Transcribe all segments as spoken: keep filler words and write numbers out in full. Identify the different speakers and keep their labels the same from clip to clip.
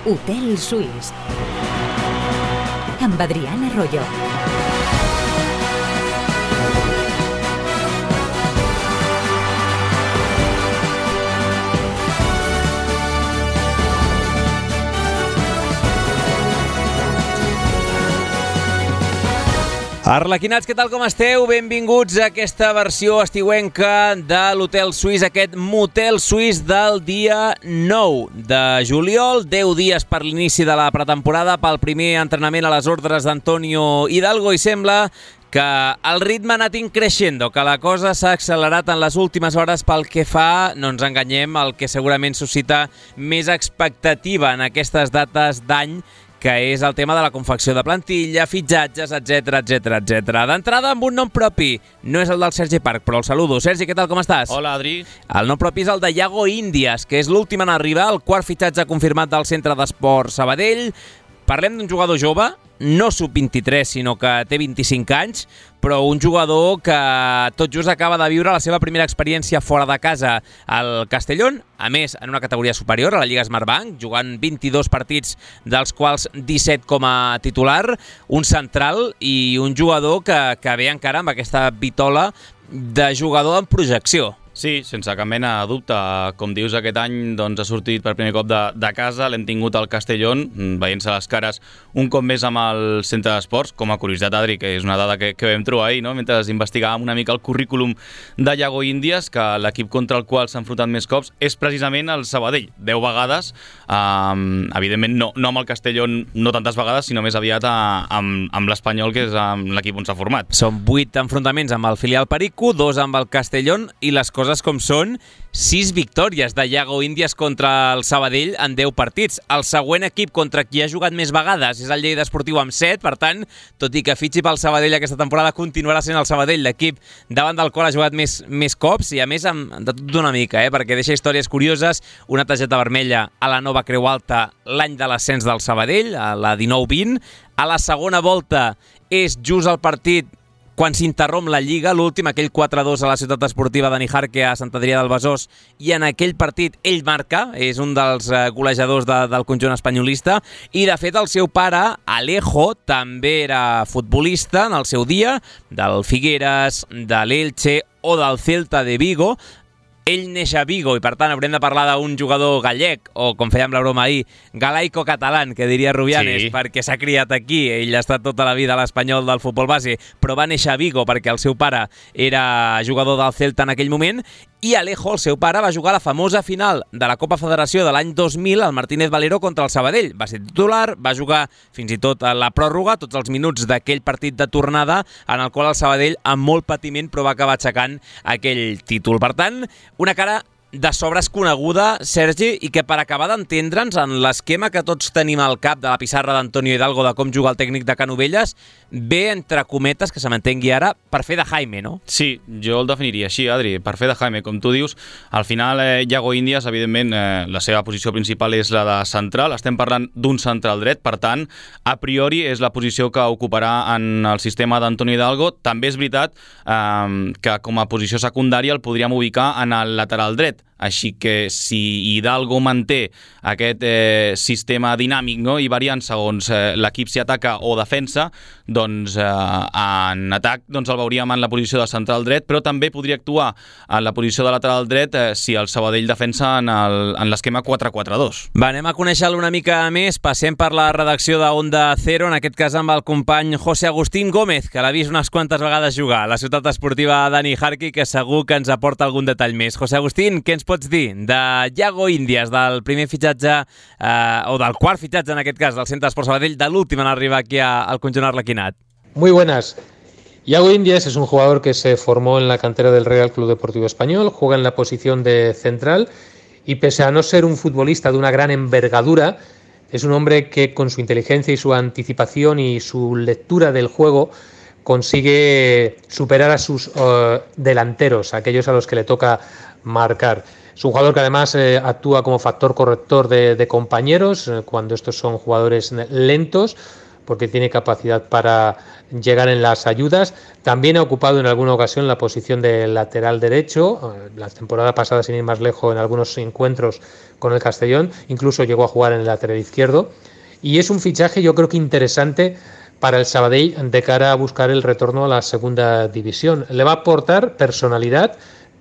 Speaker 1: Hotel Suís amb Adrián Arroyo.
Speaker 2: Arlequinats, què tal com esteu? Benvinguts a aquesta versió estiuenca de l'Hotel Suís, aquest motel suís del dia nou de juliol, deu dies per l'inici de la pretemporada, pel primer entrenament a les ordres d'Antonio Hidalgo, i sembla que el ritme ha anat increixendo, que la cosa s'ha accelerat en les últimes hores pel que fa, no ens enganyem, el que segurament suscita més expectativa en aquestes dates d'any, que és el tema de la confecció de plantilla, fitxatges, etcètera, etcètera, etcètera. D'entrada amb un nom propi, no és el del Sergi Parc, però el saludo. Sergi, què tal, com estàs?
Speaker 3: Hola, Adri.
Speaker 2: El nom propi és el de Yago Indias, que és l'últim en arribar, el quart fitxatge confirmat del Centre d'Esport Sabadell. Parlem d'un jugador jove, no sub vint-i-tres, sinó que té vint-i-cinc anys, però un jugador que tot just acaba de viure la seva primera experiència fora de casa al Castellón, a més en una categoria superior, a la Lliga Smartbank, jugant vint-i-dos partits, dels quals disset com a titular, un central i un jugador que, que ve encara amb aquesta vitola de jugador en projecció.
Speaker 3: Sí, sense cap mena de dubte. Com dius, aquest any doncs, ha sortit per primer cop de, de casa, l'hem tingut al Castellón, veient-se les cares un cop més amb el centre d'esports, com a curiositat, Adri, que és una dada que, que vam trobar ahir, no? Mentre investigàvem una mica el currículum de Yago Indias, que l'equip contra el qual s'ha enfrontat més cops és precisament el Sabadell, deu vegades, um, evidentment no, no amb el Castellón, no tantes vegades, sinó més aviat a, amb, amb l'Espanyol, que és l'equip on s'ha format.
Speaker 2: Són vuit enfrontaments amb el filial Perico, dos amb el Castellón, i les coses com són, sis victòries de Yago Indias contra el Sabadell en deu partits. El següent equip contra qui ha jugat més vegades és el Lleida Esportiu amb set, per tant, tot i que fitxi pel Sabadell aquesta temporada, continuarà sent el Sabadell l'equip davant del qual ha jugat més, més cops, i a més amb, de tot d'una mica, eh? Perquè deixa històries curioses, una targeta vermella a la nova Creu Alta l'any de l'ascens del Sabadell, a la dinou vint, a la segona volta és just el partit quan s'interromp la Lliga, l'últim, aquell quatre a dos a la ciutat esportiva de Nijarque a Sant Adrià del Besòs, i en aquell partit ell marca, és un dels golejadors de, del conjunt espanyolista, i de fet el seu pare, Alejo, també era futbolista en el seu dia, del Figueres, de l'Elche o del Celta de Vigo. Ell neix a Vigo i, per tant, haurem de parlar d'un jugador gallec, o, com fèiem la broma ahir, galaico-catalán, que diria Rubianes, sí, perquè s'ha criat aquí. Ell ha estat tota la vida a l'Espanyol del futbol base, però va néixer a Vigo perquè el seu pare era jugador del Celta en aquell moment, i Alejo, el seu pare, va jugar a la famosa final de la Copa Federació de l'any dos mil al Martínez Valero contra el Sabadell. Va ser titular, va jugar fins i tot a la pròrroga, tots els minuts d'aquell partit de tornada, en el qual el Sabadell, amb molt patiment, però va acabar aixecant aquell títol. Per tant, una cara de sobres coneguda, Sergi, i que per acabar d'entendre'ns en l'esquema que tots tenim al cap de la pissarra d'Antonio Hidalgo de com juga el tècnic de Canovelles, ve, entre cometes, que se m'entengui ara, per fer de Jaime, no?
Speaker 3: Sí, jo el definiria així, Adri, per fer de Jaime. Com tu dius, al final, eh, Yago Indias, evidentment, eh, la seva posició principal és la de central. Estem parlant d'un central dret, per tant, a priori és la posició que ocuparà en el sistema d'Antonio Hidalgo. També és veritat eh, que com a posició secundària el podríem ubicar en el lateral dret. Així que si Hidalgo manté aquest eh, sistema dinàmic, no?, i variant segons eh, l'equip si ataca o defensa, doncs eh, en atac doncs el veuríem en la posició de central dret, però també podria actuar en la posició de lateral dret eh, si el Sabadell defensa en, el, en l'esquema quatre quatre dos.
Speaker 2: Va, anem a conèixer-lo una mica més. Passem per la redacció de Onda Cero, en aquest cas amb el company José Agustín Gómez, que l'ha vist unes quantes vegades jugar a la ciutat esportiva de Nijarque, que segur que ens aporta algun detall més. José Agustín, què ens pots dir de Yago Indias, del primer fitxatge, eh, o del quart fitxatge en aquest cas, del Centre d'Esport Sabadell, de l'últim en arribar aquí al conjunt arlequinat?
Speaker 4: Muy buenas. Yago Indias es un jugador que se formó en la cantera del Real Club Deportivo Español, juega en la posición de central y, pese a no ser un futbolista de una gran envergadura, es un hombre que con su inteligencia y su anticipación y su lectura del juego consigue superar a sus uh, delanteros, aquellos a los que le toca marcar. Es un jugador que además eh, actúa como factor corrector de, de compañeros eh, cuando estos son jugadores lentos, porque tiene capacidad para llegar en las ayudas. También ha ocupado en alguna ocasión la posición de lateral derecho, la temporada pasada, sin ir más lejos, en algunos encuentros con el Castellón, incluso llegó a jugar en el lateral izquierdo, y es un fichaje yo creo que interesante para el Sabadell de cara a buscar el retorno a la segunda división. Le va a aportar personalidad,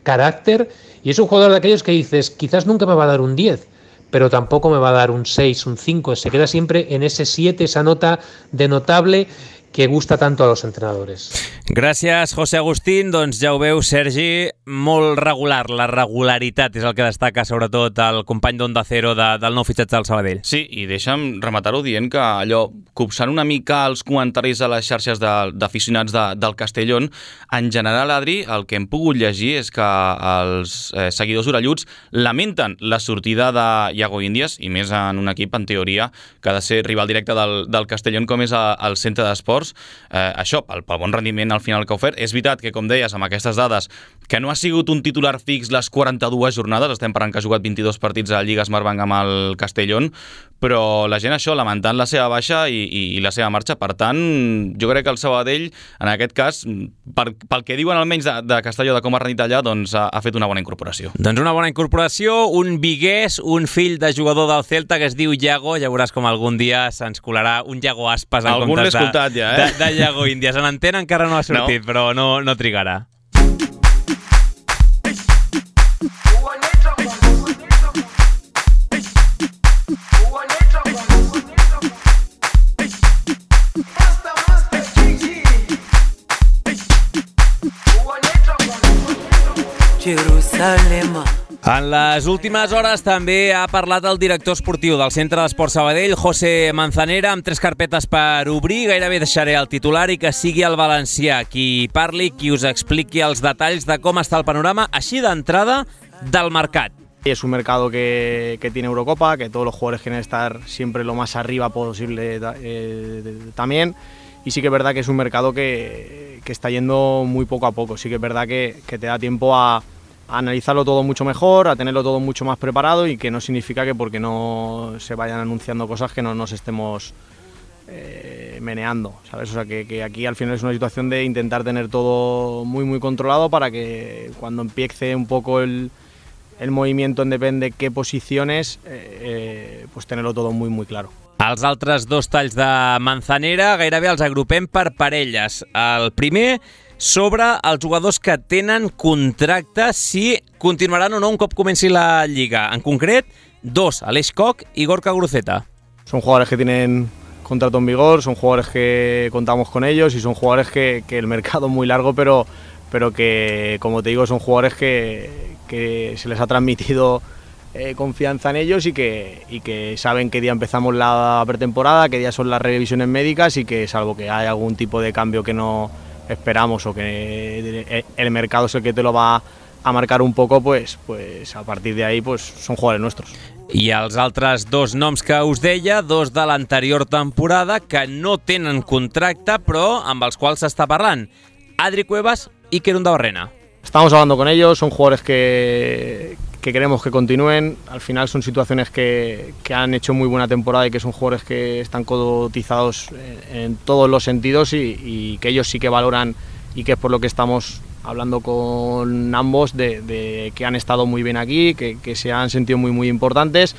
Speaker 4: carácter, y es un jugador de aquellos que dices, quizás nunca me va a dar un diez, pero tampoco me va a dar un seis, un cinco, se queda siempre en ese siete, esa nota de notable que gusta tanto a los entrenadores.
Speaker 2: Gràcies, José Agustín. Doncs ja ho veu, Sergi, molt regular. La regularitat és el que destaca sobretot el company d'Onda Cero de, del nou fitxatge del Sabadell.
Speaker 3: Sí, i deixa'm rematar-ho dient que allò, copsant una mica els comentaris a les xarxes d'aficionats de, de, del Castellón, en general, Adri, el que hem pogut llegir és que els eh, seguidors orelluts lamenten la sortida de Iago Índies, i més en un equip, en teoria, que ha de ser rival directe del, del Castellón, com és a, el centre d'esports. Eh, això, pel, pel bon rendiment al final que ha ofert. És veritat que, com deies, amb aquestes dades, que no ha sigut un titular fix les quaranta-dues jornades, estem parlant que ha jugat vint-i-dos partits a Lliga Smartbank amb el Castellón, però la gent això, lamentant la seva baixa i, i, i la seva marxa. Per tant, jo crec que el Sabadell, en aquest cas, per, pel que diuen almenys de, de Castelló, de com ha rendit allà, doncs ha, ha fet una bona incorporació.
Speaker 2: Doncs una bona incorporació, un viguès, un fill de jugador del Celta que es diu Iago, ja veuràs com algun dia se'ns colarà un Iago Aspas en
Speaker 3: algun
Speaker 2: comptes de,
Speaker 3: ja, eh?
Speaker 2: de, de Iago Índies. En antena encara no ha sortit, no. Però no, no trigarà.
Speaker 5: Jerusalem.
Speaker 2: En les últimes hores també ha parlat el director esportiu del Centre d'Esport Sabadell, José Manzanera, amb tres carpetes per obrir. Gairebé deixaré el titular i que sigui el valencià qui parli, qui us expliqui els detalls de com està el panorama, així d'entrada, del mercat.
Speaker 6: Es un mercado que, que tiene Eurocopa, que todos los jugadores quieren estar siempre lo más arriba posible eh, también. Y sí que es verdad que es un mercado que, que está yendo muy poco a poco. Sí que es verdad que, que te da tiempo a a analizarlo todo mucho mejor, a tenerlo todo mucho más preparado, y que no significa que porque no se vayan anunciando cosas que no nos estemos eh, meneando, ¿sabes? O sea, que, que aquí al final es una situación de intentar tener todo muy muy controlado para que cuando empiece un poco el, el movimiento en depende qué posiciones, eh, eh, pues tenerlo todo muy muy claro.
Speaker 2: Els altres dos talls de Manzanera gairebé els agrupem per parelles. El primer, sobre els jugadors que tenen contracte, si continuaran o no un cop comenci la Lliga. En concret, dos, Aleix Koch y Gorka Guruceta.
Speaker 6: Son jugadores que tienen contrato en vigor, son jugadores que contamos con ellos y son jugadores que, que el mercado es muy largo, pero, pero que, como te digo, son jugadores que, que se les ha transmitido eh, confianza en ellos y que, y que saben qué día empezamos la pretemporada, qué día son las revisiones médicas, y que salvo que haya algún tipo de cambio que no esperamos o que el mercado es el que te lo va a marcar un poco, pues, pues a partir de ahí pues son jugadores nuestros.
Speaker 2: I els altres dos noms que us deia, dos de l'anterior temporada que no tenen contracte però amb els quals s'està parlant, Adri Cuevas i Kerun Dabarrena.
Speaker 6: Estamos hablando con ellos, son jugadores que, que queremos que continúen. Al final son situaciones que, que han hecho muy buena temporada y que son jugadores que están cotizados en, en todos los sentidos y, y que ellos sí que valoran, y que es por lo que estamos hablando con ambos, de, de que han estado muy bien aquí, que, que se han sentido muy muy importantes,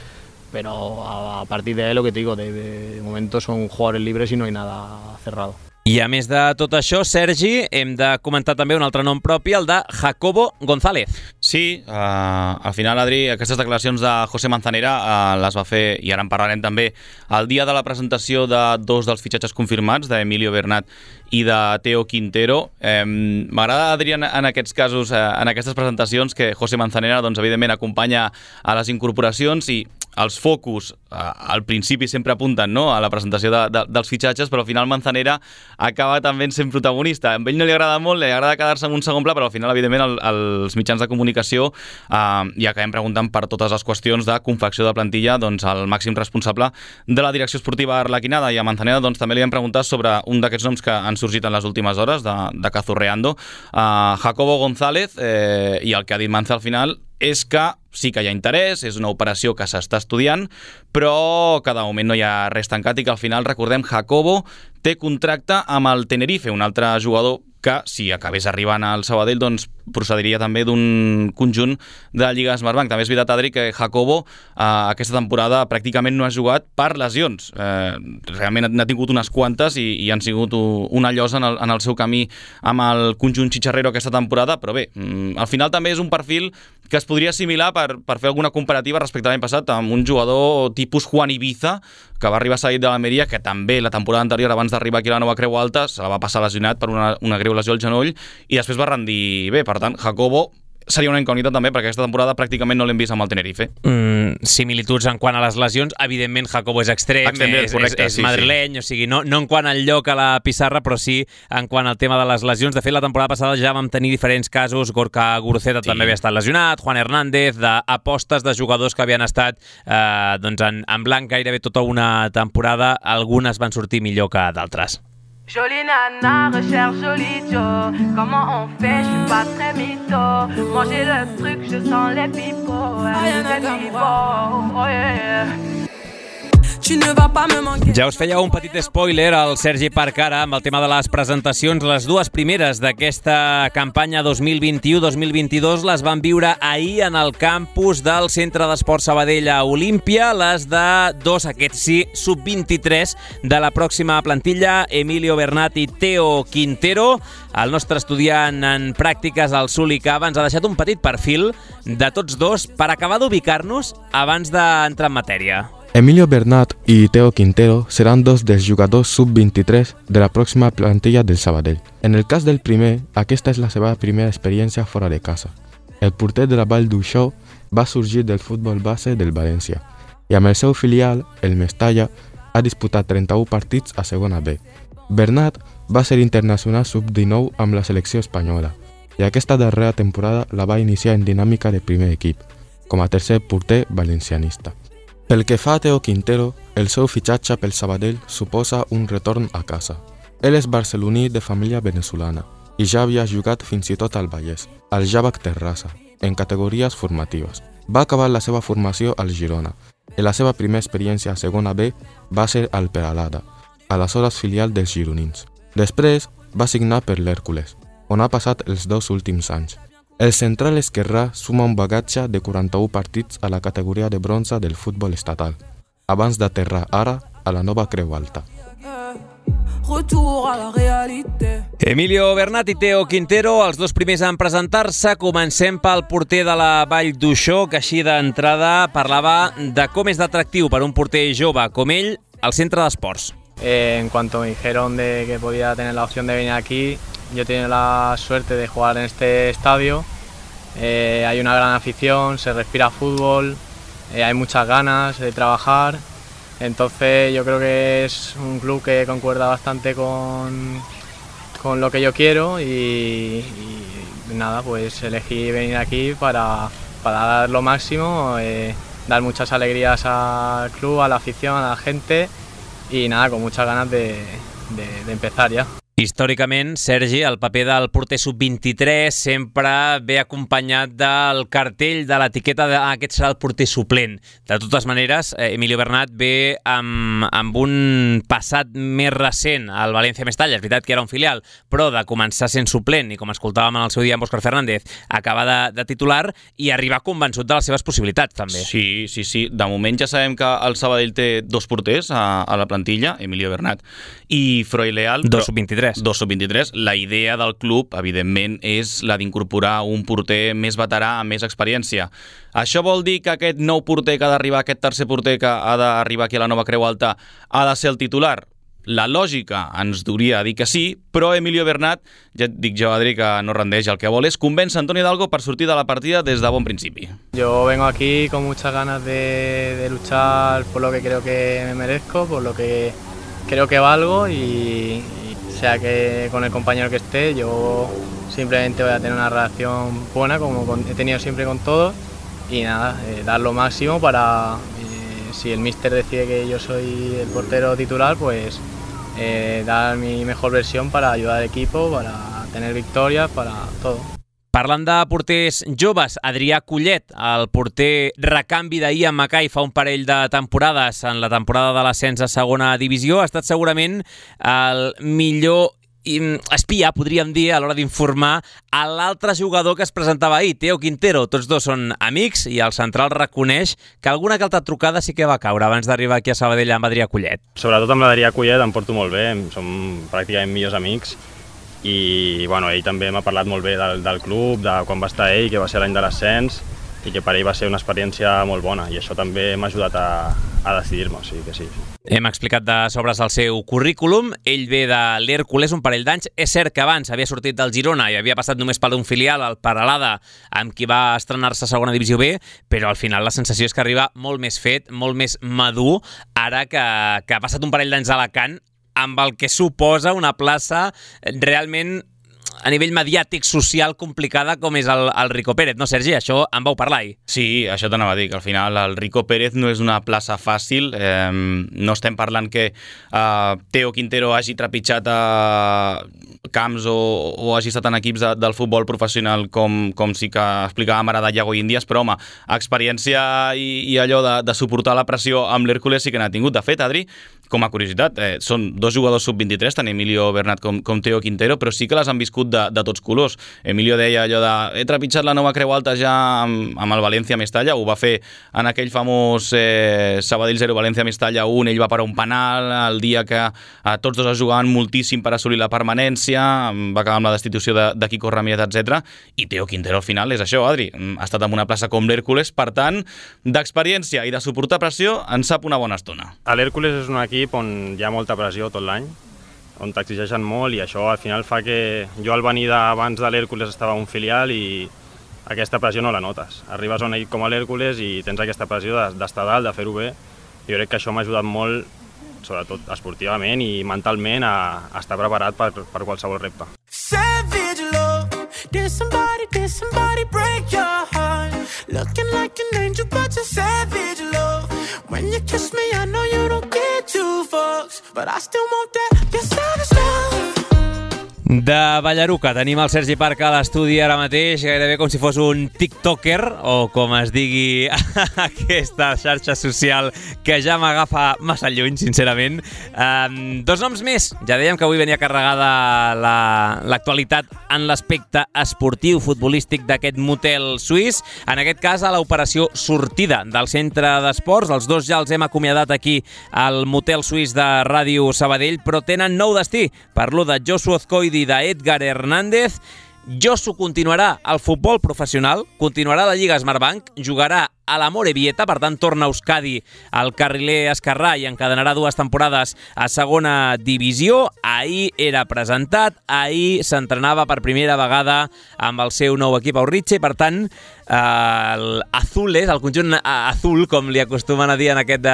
Speaker 6: pero a, a partir de ahí lo que te digo, de, de momento son jugadores libres y no hay nada cerrado.
Speaker 2: I a més de tot això, Sergi, hem de comentar també un altre nom propi, el de Jacobo González.
Speaker 3: Sí, uh, al final, Adri, aquestes declaracions de José Manzanera uh, les va fer, i ara en parlarem també, el dia de la presentació de dos dels fitxatges confirmats, d'Emilio Bernat i de Teo Quintero. Eh, M'agrada, Adri, en, en aquests casos, eh, en aquestes presentacions, que José Manzanera, doncs, evidentment, acompanya a les incorporacions, i els focus eh, al principi sempre apunten, no?, a la presentació de, de, dels fitxatges, però al final Manzanera acaba també sent protagonista. A ell no li agrada molt, li agrada quedar-se en un segon pla, però al final, evidentment, el, els mitjans de comunicació eh, i acabem preguntant per totes les qüestions de confecció de plantilla, doncs, al màxim responsable de la direcció esportiva arlequinada. I a Manzanera, doncs, també li hem preguntat sobre un d'aquests noms que han sorgit en les últimes hores, de, de Cazorreando, uh, Jacobo González, eh, i el que ha dit Manza al final és que sí que hi ha interès, és una operació que s'està estudiant, però que de moment no hi ha res tancat i que al final, recordem, Jacobo té contracte amb el Tenerife, un altre jugador que, si acabés arribant al Sabadell, doncs procediria també d'un conjunt de Lliga Smartbank. També és veritat, Adri, que Jacobo eh, aquesta temporada pràcticament no ha jugat per lesions. Eh, realment n'ha tingut unes quantes i, i han sigut una llosa en el, en el seu camí amb el conjunt xitxarrero aquesta temporada, però bé, al final també és un perfil que es podria assimilar per, per fer alguna comparativa respecte a l'any passat amb un jugador tipus Juan Ibiza, que va arribar cedit de l'Almeria, que també la temporada anterior, abans d'arribar aquí a la nova Creu Alta, se la va passar lesionat per una, una greu lesió al genoll i després va rendir bé. Per tant, Jacobo seria una incògnita també, perquè aquesta temporada pràcticament no l'hem vist amb el Tenerife.
Speaker 2: Mm, similituds en quant a les lesions, evidentment Jacobo és extrem, extrem és, correcte, és, és sí, madrileny, sí. O sigui, no, no en quant al lloc a la pissarra, però sí en quant al tema de les lesions. De fet, la temporada passada ja vam tenir diferents casos, Gorka Guruceta sí. també havia estat lesionat, Juan Hernández, d'apostes de jugadors que havien estat eh, doncs en, en blanc gairebé tota una temporada, algunes van sortir millor que d'altres.
Speaker 5: Jolie nana, recherche jolie Joe. Comment on fait, je suis pas très mytho. Manger le truc, je sens les pipots. Oh yeah.
Speaker 2: Ja us feia un petit spoiler al Sergi Parc ara amb el tema de les presentacions. Les dues primeres d'aquesta campanya dos mil vint-i-u dos mil vint-i-dos les van viure ahir en el campus del Centre d'Esport Sabadell a Olímpia. Les de dos, aquests sí, sub vint-i-tres de la pròxima plantilla, Emilio Bernat i Teo Quintero. El nostre estudiant en pràctiques, el Suli Cava, ens ha deixat un petit perfil de tots dos per acabar d'ubicar-nos abans d'entrar en matèria.
Speaker 7: Emilio Bernat y Teo Quintero serán dos dels jugadors sub vint-i-tres de la pròxima plantilla del Sabadell. En el cas del primer, aquesta és la seva primera experiència fora de casa. El porter de la Vall d'Uixó va sorgir del futbol base del València i amb el seu filial, el Mestalla, ha disputat trenta-un partits a segona B. Bernat va ser internacional sub dinou amb la selecció espanyola i aquesta darrera temporada la va iniciar en dinàmica de primer equip, com a tercer porter valencianista. Pel que fa a Teo Quintero, el seu fitxatge pel Sabadell suposa un retorn a casa. Ell és barceloní de família venezolana i ja havia jugat fins i tot al Vallès, al Javac Terrassa, en categories formatives. Va acabar la seva formació al Girona i la seva primera experiència a segona B va ser al Peralada, aleshores filial dels gironins. Després va signar per l'Hèrcules, on ha passat els dos últims anys. El central esquerrà suma un bagatge de quaranta-un partits a la categoria de bronze del futbol estatal, abans d'aterrar ara a la nova Creu Alta.
Speaker 2: Emilio Bernat i Teo Quintero, els dos primers en presentar-se. Comencem pel porter de la Vall d'Uixó, que així d'entrada parlava de com és d'atractiu per un porter jove com ell al centre d'esports.
Speaker 6: Eh, en cuanto me dijeron de que podía tener la opción de venir aquí, yo he tenido la suerte de jugar en este estadio. Eh, hay una gran afición, se respira fútbol, eh, hay muchas ganas de trabajar. Entonces yo creo que es un club que concuerda bastante con, con lo que yo quiero y, y nada, pues elegí venir aquí para, para dar lo máximo, eh, dar muchas alegrías al club, a la afición, a la gente y nada, con muchas ganas de, de, de empezar ya.
Speaker 2: Històricament, Sergi, el paper del porter sub vint-i-tres sempre ve acompanyat del cartell de l'etiqueta de ah, aquest serà el porter suplent. De totes maneres, Emilio Bernat ve amb, amb un passat més recent al València Mestalla. És veritat que era un filial, però de començar sent suplent i, com escoltàvem en el seu dia amb Òscar Fernández, acabar de, de titular i arribar convençut de les seves possibilitats, també.
Speaker 3: Sí, sí, sí. De moment ja sabem que el Sabadell té dos porters a, a la plantilla, Emilio Bernat i Freud Leal.
Speaker 2: Dos sub vint-i-tres.
Speaker 3: dos sub vint-i-tres. La idea del club, evidentment, és la d'incorporar un porter més veterà amb més experiència. Això vol dir que aquest nou porter que ha d'arribar, aquest tercer porter que ha d'arribar aquí a la nova Creu Alta, ha de ser el titular? La lògica ens duria dir que sí, però Emilio Bernat, ja et dic jo, Adri, que no rendeix. El que vol és convèncer Antonio Hidalgo per sortir de la partida des de bon principi.
Speaker 6: Yo vengo aquí con muchas ganas de, de luchar por lo que creo que me merezco, por lo que creo que valgo y, y sea que con el compañero que esté, yo simplemente voy a tener una relación buena como con, he tenido siempre con todos y nada, eh, dar lo máximo para, eh, si el míster decide que yo soy el portero titular, pues eh, dar mi mejor versión para ayudar al equipo, para tener victorias, para todo.
Speaker 2: Parlant de porters joves, Adrià Collet, el porter recanvi d'Ian Mackay fa un parell de temporades en la temporada de l'ascens a segona divisió, ha estat segurament el millor espia, podríem dir, a l'hora d'informar a l'altre jugador que es presentava ahir, Theo Quintero. Tots dos són amics i el central reconeix que alguna que altra trucada sí que va caure abans d'arribar aquí a Sabadell amb Adrià Collet.
Speaker 8: Sobretot amb l'Adrià Collet em porto molt bé, som pràcticament millors amics i bueno, ell també m'ha parlat molt bé del, del club, de quan va estar ell, que va ser l'any de l'ascens i que per ell va ser una experiència molt bona i això també m'ha ajudat a, a decidir-me, o sigui que sí.
Speaker 2: Hem explicat de sobres el seu currículum. Ell ve de l'Hèrcules un parell d'anys. És cert que abans havia sortit del Girona i havia passat només per un filial, el Peralada, amb qui va estrenar-se a segona divisió B, però al final la sensació és que arriba molt més fet, molt més madur, ara que, que ha passat un parell d'anys a Alacant, amb el que suposa una plaça realment a nivell mediàtic, social, complicada com és el, el Rico Pérez, no, Sergi? Això en vau parlar ahir.
Speaker 3: Sí, això t'anava a dir, que al final el Rico Pérez no és una plaça fàcil, eh, no estem parlant que eh, Theo Quintero hagi trepitjat a camps o, o hagi estat en equips de, del futbol professional com, com sí que explicàvem ara de Iago Índias, però home, experiència i, i allò de, de suportar la pressió amb l'Hèrcules sí que n'ha tingut. De fet, Adri, com a curiositat, eh, són dos jugadors sub vint-i-tres, tant Emilio Bernat com, com Theo Quintero, però sí que les han viscut de, de tots colors. Emilio deia allò de he trepitjat la nova Creu Alta ja amb, amb el València Mestalla, ho va fer en aquell famós eh, Sabadell zero València Mestalla un, ell va parar un penal el dia que eh, tots dos es jugaven moltíssim per assolir la permanència, va acabar amb la destitució de, de Quico Ramírez, etcètera. I Theo Quintero al final és això, Adri, ha estat en una plaça com l'Hèrcules, per tant, d'experiència i de suportar pressió en sap una bona estona.
Speaker 8: L'Hèrcules és un equip on hi ha molta pressió tot l'any, on t'exigeixen molt i això al final fa que jo al venir d'abans de l'Hèrcules estava a un filial i aquesta pressió no la notes. Arribes a un equip com l'Hèrcules i tens aquesta pressió d'estar dalt, de fer-ho bé. Jo crec que això m'ha ajudat molt, sobretot esportivament i mentalment, a, a estar preparat per, per qualsevol repte. Savage love, did somebody, did somebody break your heart? Looking like an angel but you're savage love. When you kiss me I know you don't get two fucks, but I still want that, your savage love.
Speaker 2: De Ballaruca tenim el Sergi Parc a l'estudi ara mateix, gairebé com si fos un tiktoker, o com es digui aquesta xarxa social que ja m'agafa massa lluny, sincerament. Um, dos noms més. Ja dèiem que avui venia carregada l'actualitat la, en l'aspecte esportiu, futbolístic d'aquest motel suís. En aquest cas, a l'operació sortida del centre d'esports. Els dos ja els hem acomiadat aquí al motel suís de Ràdio Sabadell, però tenen nou destí. Parlo de Josu Azcoidi i d'Edgar Hernández. Josu continuarà al futbol professional, continuarà a la Lliga Smartbank, jugarà a la Morevieta, per tant torna a Euskadi al carriler esquerrà i encadenarà dues temporades a segona divisió. Ahir era presentat, ahir s'entrenava per primera vegada amb el seu nou equip a Urritxe i per tant el Azules, el conjunt azul, com li acostumen a dir en aquest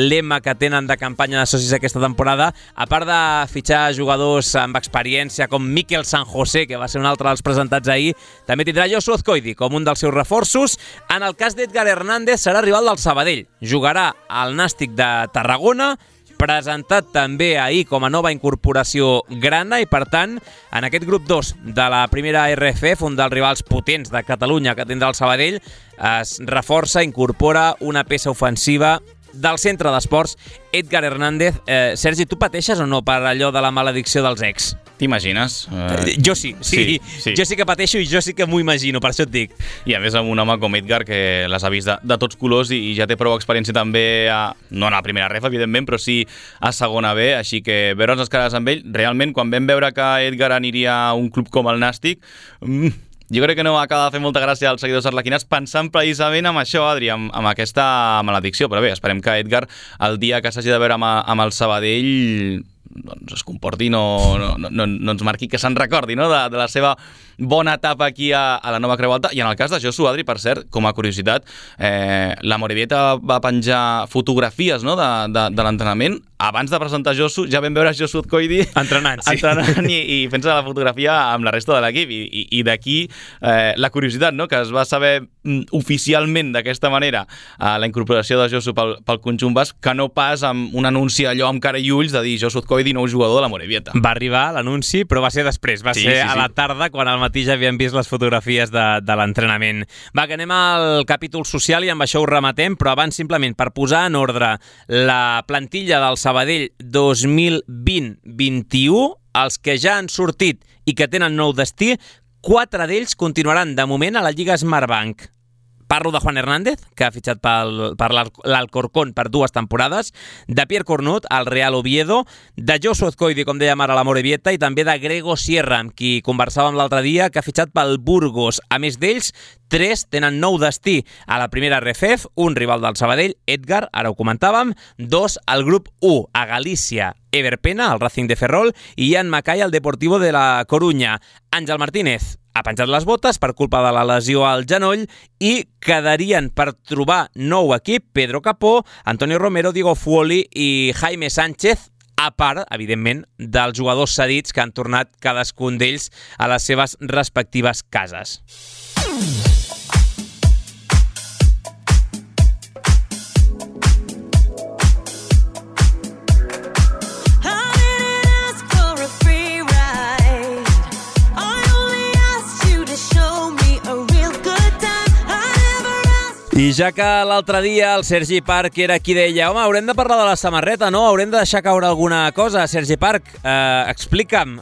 Speaker 2: lema que tenen de campanya de socis aquesta temporada, a part de fitxar jugadors amb experiència com Miquel San José, que va ser un altre dels presentats ahir, també tindrà Josu Azcoidi com un dels seus reforços. En el cas d'Edgar Hernández serà rival del Sabadell, jugarà al Nàstic de Tarragona, presentat també ahir com a nova incorporació grana i, per tant, en aquest grup dos de la primera R F F, un dels rivals potents de Catalunya que tindrà el Sabadell, es reforça, incorpora una peça ofensiva del centre d'esports, Edgar Hernández. Eh, Sergi, tu pateixes o no per allò de la maledicció dels ex?
Speaker 3: T'imagines?
Speaker 2: Uh, jo sí, sí, sí, sí. Jo sí que pateixo i jo sí que m'ho imagino, per això et dic.
Speaker 3: I a més amb un home com Edgar que les ha vist de, de tots colors i, i ja té prou experiència també, a, no en la primera ref, evidentment, però sí a segona B, així que veure'ns les cares amb ell, realment, quan vam veure que Edgar aniria a un club com el Nàstic, mm, jo crec que no acaba de fer molta gràcia als seguidors arlequinats pensant precisament amb això, Adri, amb, amb aquesta maledicció. Però bé, esperem que Edgar, el dia que s'hagi de veure amb, amb el Sabadell, doncs es comporti, no, no, no, no ens marqui, que se'n recordi, no?, de, de la seva bona etapa aquí a, a la nova Creu Alta. I en el cas de Josu, Adri, per cert, com a curiositat, eh, la Morevieta va penjar fotografies, no?, de, de, de l'entrenament abans de presentar Josu, ja vam veure Josu Otkoidi
Speaker 2: entrenant, sí.
Speaker 3: entrenant i, i fent-se la fotografia amb la resta de l'equip. I, i, i d'aquí eh, la curiositat, no?, que es va saber mm, oficialment d'aquesta manera eh, la incorporació de Josu pel, pel conjunt basc, que no pas amb un anunci allò amb cara i ulls de dir Josu Otkoidi, nou jugador de la Morevieta.
Speaker 2: Va arribar l'anunci, però va ser després, va
Speaker 3: sí,
Speaker 2: ser
Speaker 3: sí,
Speaker 2: a
Speaker 3: sí.
Speaker 2: la tarda, quan al matí ja havíem vist les fotografies de, de l'entrenament. Va, que anem al capítol social i amb això ho rematem, però abans simplement per posar en ordre la plantilla del Sabadell dos mil vint vint-i-u, els que ja han sortit i que tenen nou destí, quatre d'ells continuaran de moment a la Lliga Smartbank. Parlo de Juan Hernández, que ha fitxat pel, per l'Alcorcón per dues temporades, de Pierre Cornut, al Real Oviedo, de Josu Otkoidi, com dèiem ara, a la Morevieta, i també de Grego Sierra, amb qui conversàvem l'altre dia, que ha fitxat pel Burgos. A més d'ells, tres tenen nou destí a la primera R F E F, un rival del Sabadell, Edgar, ara ho comentàvem, dos al grup u, a Galícia, Ever Pena, el Racing de Ferrol, i Ian Mackay, el Deportivo de la Coruña. Àngel Martínez ha penjat les botes per culpa de la lesió al genoll i quedarien per trobar nou equip Pedro Capó, Antonio Romero, Diego Fuoli i Jaime Sánchez, a part, evidentment, dels jugadors cedits que han tornat cadascun d'ells a les seves respectives cases. I ja que l'altre dia el Sergi Parc era qui deia home, haurem de parlar de la samarreta, no? Haurem de deixar caure alguna cosa. Sergi Parc, eh, explica'm,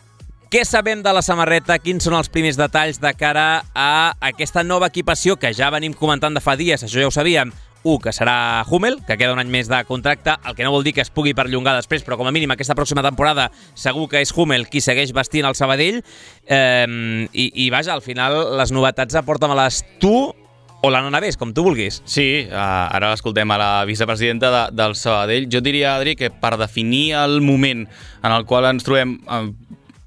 Speaker 2: què sabem de la samarreta? Quins són els primers detalls de cara a aquesta nova equipació que ja venim comentant de fa dies? Això ja ho sabíem. Un, que serà Hummel, que queda un any més de contracte, el que no vol dir que es pugui perllongar després, però com a mínim aquesta pròxima temporada segur que és Hummel qui segueix vestint el Sabadell. Eh, i, I vaja, al final les novetats aporta-me-les tu o la Nanavés, com tu vulguis.
Speaker 3: Sí, uh, ara l'escoltem a la vicepresidenta de, del Sabadell. Jo diria, Adri, que per definir el moment en el qual ens trobem uh,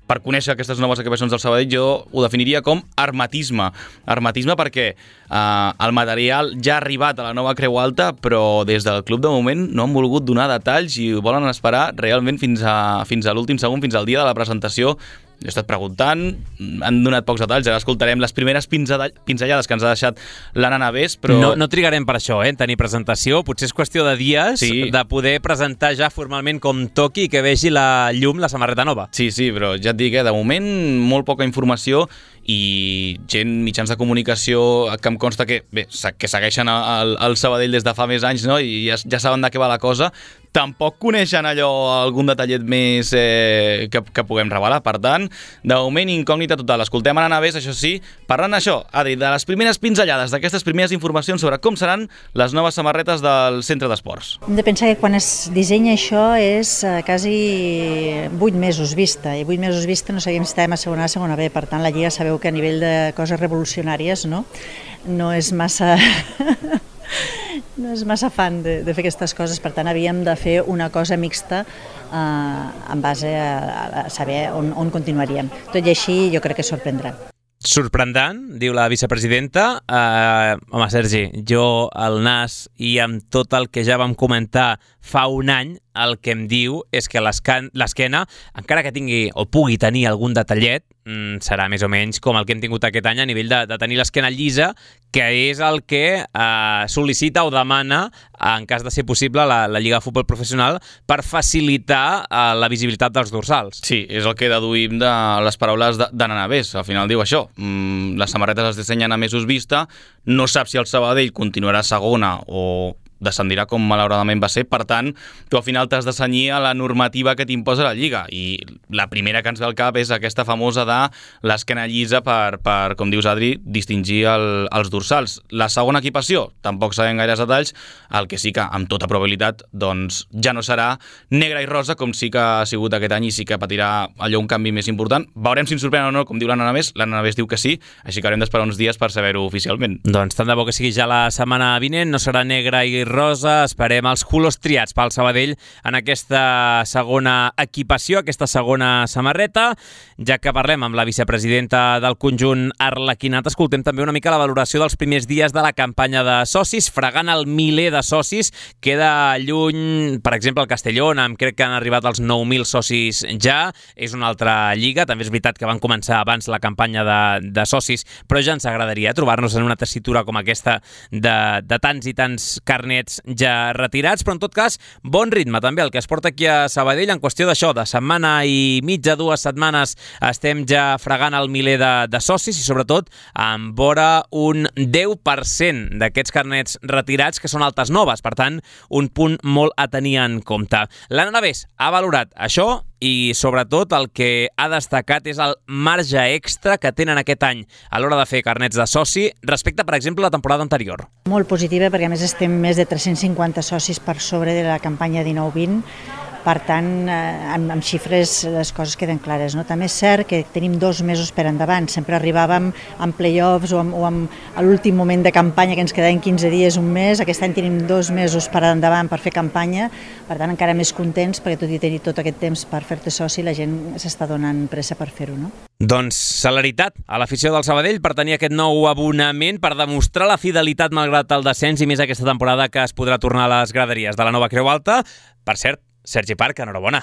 Speaker 3: per conèixer aquestes noves equipacions del Sabadell, jo ho definiria com hermetisme. Hermetisme perquè uh, el material ja ha arribat a la nova Creu Alta, però des del club de moment no han volgut donar detalls i volen esperar realment fins a, fins a l'últim segon, fins al dia de la presentació. He estat preguntant, han donat pocs detalls, ara escoltarem les primeres pinzellades que ens ha deixat la Nanavés, però...
Speaker 2: No, no trigarem per això, eh, en tenir presentació, potser és qüestió de dies sí. de poder presentar ja formalment com toqui i que vegi la llum la samarreta nova.
Speaker 3: Sí, sí, però ja et dic, eh, de moment molt poca informació i gent, mitjans de comunicació que em consta que, bé, que segueixen el, el Sabadell des de fa més anys, no? I ja, ja saben de què va la cosa. Tampoc coneixen allò, algun detallet més eh, que, que puguem revelar. Per tant, de moment, incògnita total. Escoltem a Nanavés, això sí, parlant d'això, Adri, de les primeres pinzellades, d'aquestes primeres informacions sobre com seran les noves samarretes del centre d'esports.
Speaker 9: Hem de pensar que quan es dissenya això és eh, quasi vuit mesos vista, i vuit mesos vista no sabíem si estàvem a segona A, a segona B, per tant la Lliga sabeu que a nivell de coses revolucionàries no, no és massa... no és massa fan de, de fer aquestes coses, per tant havíem de fer una cosa mixta eh, en base a, a saber on, on continuaríem. Tot i així jo crec que sorprendrà.
Speaker 2: Sorprendran, diu la vicepresidenta. Uh, home, Sergi, jo al nas i amb tot el que ja vam comentar fa un any, el que em diu és que l'esquena, encara que tingui o pugui tenir algun detallet, mm, serà més o menys com el que hem tingut aquest any a nivell de, de tenir l'esquena llisa, que és el que eh, sol·licita o demana, en cas de ser possible, la, la Lliga de Futbol Professional per facilitar eh, la visibilitat dels dorsals.
Speaker 3: Sí, és el que deduïm de les paraules de, de Nanavés. Al final diu això, mm, les samarretes es dissenyen a mesos vista, no sap si el Sabadell continuarà segona o descendirà com malauradament va ser, per tant, tu al final t'has de cenyir a la normativa que t'imposa la Lliga, i la primera que ens ve al cap és aquesta famosa de l'esquena llisa per, per, com dius, Adri, distingir el, els dorsals. La segona equipació, tampoc sabem gaires detalls, el que sí que, amb tota probabilitat, doncs ja no serà negra i rosa, com sí que ha sigut aquest any, i sí que patirà allò un canvi més important. Veurem si ens sorprèn o no, com diu la Nanavés. La Nanavés diu que sí, així que haurem d'esperar uns dies per saber-ho oficialment.
Speaker 2: Doncs tant de bo que sigui ja la setmana vinent, no serà negra i rosa, esperem els colors triats pel Sabadell en aquesta segona equipació, aquesta segona samarreta. Ja que parlem amb la vicepresidenta del conjunt arlequinat, escoltem també una mica la valoració dels primers dies de la campanya de socis, fregant el miler de socis. Queda lluny, per exemple, el Castelló, amb crec que han arribat als nou mil socis ja. És una altra lliga, també és veritat que van començar abans la campanya de, de socis, però ja ens agradaria trobar-nos en una tessitura com aquesta de, de tants i tants carnets ja retirats, però en tot cas, bon ritme també el que es porta aquí a Sabadell en qüestió d'això, de setmana i mitja, dues setmanes, estem ja fregant el miler de, de socis i sobretot amb vora un deu per cent d'aquests carnets retirats que són altes noves, per tant, un punt molt a tenir en compte. L'Anna Navés ha valorat això i sobretot el que ha destacat és el marge extra que tenen aquest any a l'hora de fer carnets de soci respecte, per exemple, a la temporada anterior.
Speaker 9: Molt positiva perquè a més estem més de tres-cents cinquanta socis per sobre de la campanya dinou vint. Per tant, amb, amb xifres les coses queden clares, no? També és cert que tenim dos mesos per endavant. Sempre arribàvem amb play-offs o, amb, o amb, a l'últim moment de campanya que ens quedaven quinze dies, un mes. Aquest any tenim dos mesos per endavant per fer campanya. Per tant, encara més contents perquè tot i tenir tot aquest temps per fer-te soci, la gent s'està donant pressa per fer-ho, no?
Speaker 2: Doncs celeritat a l'afició del Sabadell per tenir aquest nou abonament, per demostrar la fidelitat malgrat el descens i més aquesta temporada que es podrà tornar a les graderies de la nova Creu Alta. Per cert, Sergi Parc, enhorabona.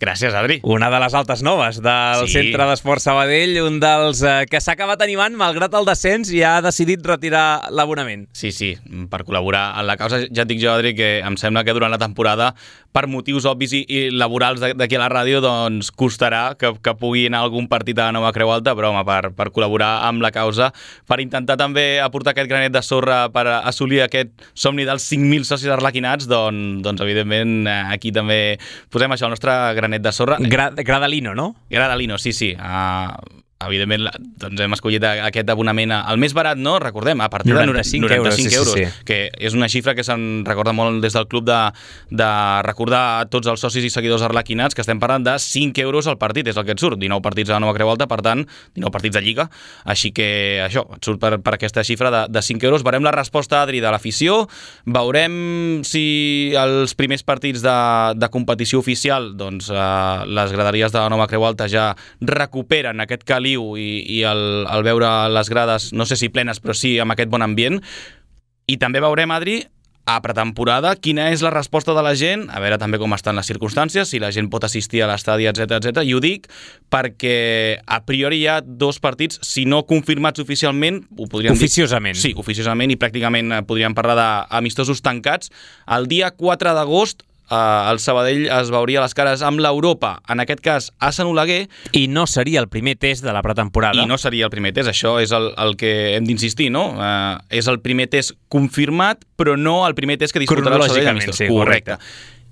Speaker 3: Gràcies, Adri.
Speaker 2: Una de les altes noves del sí. Centre d'Esports Sabadell, un dels eh, que s'ha acabat animant malgrat el descens i ha decidit retirar l'abonament.
Speaker 3: Sí, sí, per col·laborar en la causa. Ja et dic jo, Adri, que em sembla que durant la temporada, per motius obvis i, i laborals d'aquí a la ràdio, doncs costarà que, que pugui anar a algun partit a la nova Creu Alta, però home, per, per col·laborar amb la causa, per intentar també aportar aquest granet de sorra per assolir aquest somni dels cinc mil socis arlequinats, doncs, doncs evidentment aquí també posem això, el nostre granet de sorra.
Speaker 2: Gra Gradalino, no?
Speaker 3: Gradalino, sí, sí. Uh, evidentment, doncs hem escollit aquest abonament al més barat, no? Recordem, a partir de noranta-cinc euros, sí, sí, sí. Que és una xifra que se'n recorda molt des del club de, de recordar a tots els socis i seguidors arlequinats que estem parlant de cinc euros al partit, és el que et surt, dinou partits a la nova Creu Alta, per tant, dinou partits de Lliga, així que això, et surt per, per aquesta xifra de, de cinc euros. Veurem la resposta, Adri, de l'afició, veurem si els primers partits de, de competició oficial, doncs eh, les graderies de la nova Creu Alta ja recuperen aquest caliu i, i el, el veure les grades, no sé si plenes, però sí amb aquest bon ambient. I també veurem, Adri, a pretemporada, quina és la resposta de la gent, a veure també com estan les circumstàncies, si la gent pot assistir a l'estadi, etcètera, etcètera. I ho dic perquè a priori hi ha dos partits, si no confirmats oficialment, ho podríem
Speaker 2: oficiosament.
Speaker 3: dir... Sí, oficiosament, i pràcticament podríem parlar d'amistosos tancats. El dia quatre d'agost, Uh, el Sabadell es veuria les cares amb l'Europa, en aquest cas a Sant Oleguer.
Speaker 2: I no seria el primer test de la pretemporada.
Speaker 3: I no seria el primer test, això és el, el que hem d'insistir, no? Uh, és el primer test confirmat, però no el primer test que disputarà el Sabadell amistós.
Speaker 2: Sí, correcte.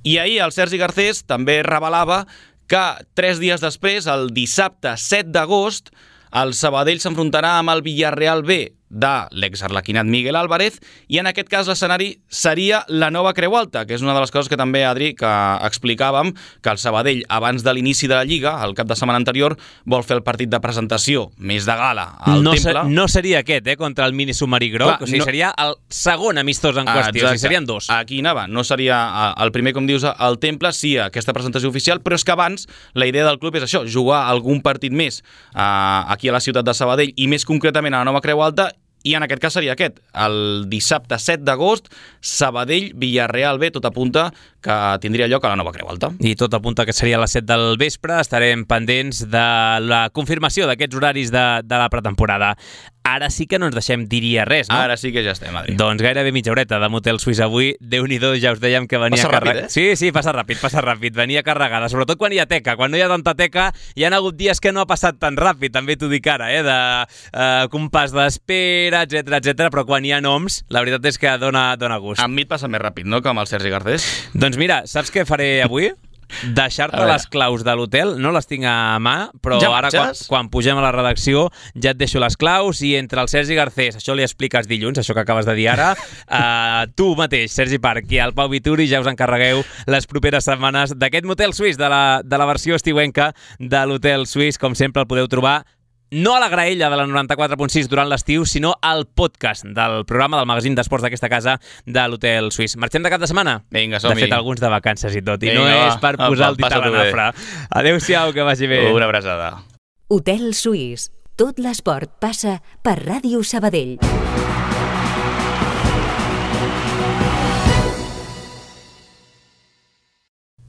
Speaker 3: I ahir el Sergi Garcés també revelava que tres dies després, el dissabte set d'agost, el Sabadell s'enfrontarà amb el Villarreal B de l'exarlequinat Miguel Álvarez, i en aquest cas l'escenari seria la nova Creu Alta, que és una de les coses que també, Adri, que explicàvem, que el Sabadell, abans de l'inici de la Lliga, el cap de setmana anterior, vol fer el partit de presentació més de gala al
Speaker 2: no
Speaker 3: Temple.
Speaker 2: Se, no seria aquest, eh, contra el mini submarí groc, Clar, o sigui, no... seria el segon amistós en qüestió, ah, o sigui, serien dos.
Speaker 3: Aquí anava, no seria el primer, com dius, al Temple, sí, aquesta presentació oficial, però és que abans la idea del club és això, jugar algun partit més eh, aquí a la ciutat de Sabadell, i més concretament a la nova Creu Alta, i en aquest cas seria aquest, el dissabte set d'agost, Sabadell-Villarreal B, tot apunta que tindria lloc a la nova Creu Alta.
Speaker 2: I tot apunta que seria a les set del vespre, estarem pendents de la confirmació d'aquests horaris de, de la pretemporada. Ara sí que no ens deixem diria res, no?
Speaker 3: Ara sí que ja estem, Adri.
Speaker 2: Doncs gairebé mitja horeta de Motel Suís avui. Déu-n'hi-do, ja us dèiem que venia carregada.
Speaker 3: Eh?
Speaker 2: Sí, sí, passa ràpid, passa ràpid. Venia carregada, sobretot quan hi ha teca. Quan no hi ha tanta teca, hi ha hagut dies que no ha passat tan ràpid, també t'ho dic ara, eh? De uh, compàs d'espera, etcètera, etcètera, però quan hi ha noms, la veritat és que dona, dona gust.
Speaker 3: Amb mi et passa més ràpid, no?, que amb el Sergi Garcés.
Speaker 2: Doncs mira, saps què faré avui? Deixar-te les claus de l'hotel, no les tinc a mà, però
Speaker 3: ja
Speaker 2: ara quan, quan pugem a la redacció ja et deixo les claus, i entre el Sergi Garcés, això li expliques dilluns, això que acabes de dir ara, uh, tu mateix, Sergi Parc, i el Pau Vituri ja us encarregueu les properes setmanes d'aquest Motel Suís, de la, de la versió estiuenca de l'Hotel Suís. Com sempre el podeu trobar no a la graella de la noranta-quatre punt sis durant l'estiu, sinó al podcast del programa del magazín d'esports d'aquesta casa de l'Hotel Suís. Marxem de cap de setmana?
Speaker 3: Vinga, som-hi.
Speaker 2: De fet, alguns de vacances i tot, i
Speaker 3: Vinga,
Speaker 2: no
Speaker 3: va.
Speaker 2: és per
Speaker 3: Apa,
Speaker 2: posar el dit a la
Speaker 3: passa-t'ho bé.
Speaker 2: nafra. Adéu-siau, que vagi bé.
Speaker 3: Una abraçada.
Speaker 1: Hotel Suís. Tot l'esport passa per Ràdio Sabadell.